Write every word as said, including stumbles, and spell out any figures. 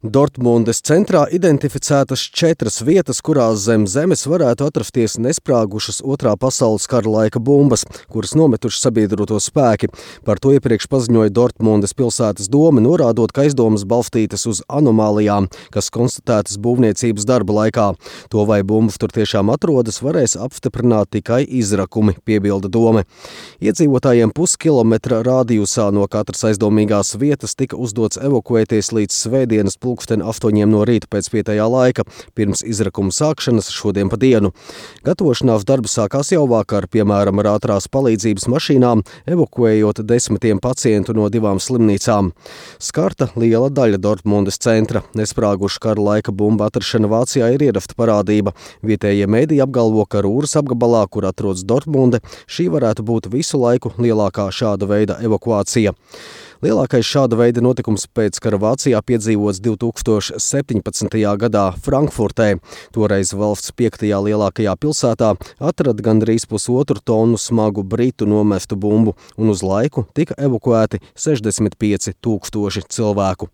Dortmundes centrā identificētas četras vietas, kurās zem zemes varētu atrasties nesprāgušas otrā pasaules kara laika bumbas, kuras nometuši sabiedroto spēki. Par to iepriekš paziņoja Dortmundes pilsētas dome, norādot, ka aizdomas balstītas uz anomālijām, kas konstatētas būvniecības darba laikā. To, vai bumbas tur tiešām atrodas, varēs apstiprināt tikai izrakumi, piebilda dome. Iedzīvotājiem puskilometra rādijusā no katras aizdomīgās vietas tika uzdots evakuēties līdz svētdienas pulksten astoņiem no rīta pēc vietējā laika, pirms izrakuma sākšanas šodien pa dienu. Gatavošanās darbi sākās jau vakar, piemēram, ar ātrās palīdzības mašīnām, evakuējot desmitiem pacientu no divām slimnīcām. Skarta liela daļa Dortmundes centra. Nesprāguša kara laika bumba atrašana Vācijā ir ierasta parādība. Vietējie mēdīji apgalvo, ka Rūras apgabalā, kur atrodas Dortmunde, šī varētu būt visu laiku lielākā šāda veida evakuācija. Lielākais šāda veida notikums pēc kara Vācijā piedzīvots divi tūkstoši septiņpadsmitajā gadā Frankfurtē. Toreiz valsts piektajā lielākajā pilsētā atrada gandrīz pusotru tonu smagu britu nomestu bumbu, un uz laiku tika evakuēti sešdesmit pieci tūkstoši cilvēku.